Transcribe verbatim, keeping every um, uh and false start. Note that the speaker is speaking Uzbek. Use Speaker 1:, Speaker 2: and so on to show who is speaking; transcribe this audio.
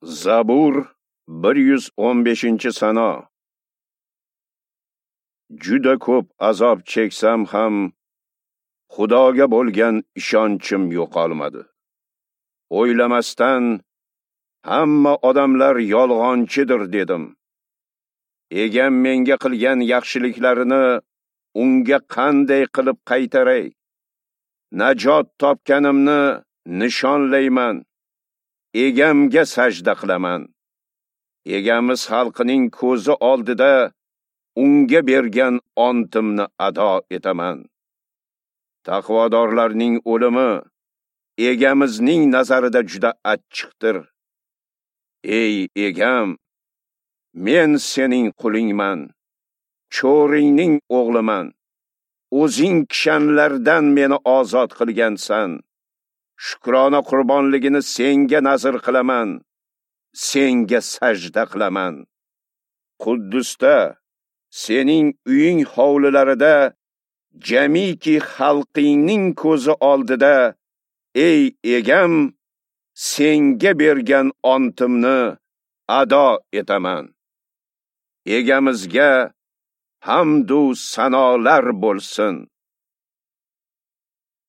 Speaker 1: Zabur bir yuz o'n beshinchi sano. Juda ko'p azob cheksam ham Xudoga bo'lgan ishonchim yo'qolmadi. O'ylamasdan hamma odamlar yolg'onchidir dedim. Egam menga qilgan yaxshiliklarini unga qanday qilib qaytaray? Najot topganimni nishonlayman. Egamga sajda qilaman. Egamiz xalqining ko'zi oldida unga bergan ontimni ado etaman. Taqvodorlarning o'limi egamizning nazarida juda achchiqdir. Ey egam, men sening qulingman, cho'ringning o'g'liman. O'zing kishanlardan meni ozod qilgansan. Shukrona qurbonligini senga nazr qilaman, senga sajda qilaman. Quddusda, sening uying hovlilarida, jamiki xalqingning ko'zi oldida, ey egam, senga bergan ontimni ado etaman. Egamizga hamdu sanolar bo'lsin.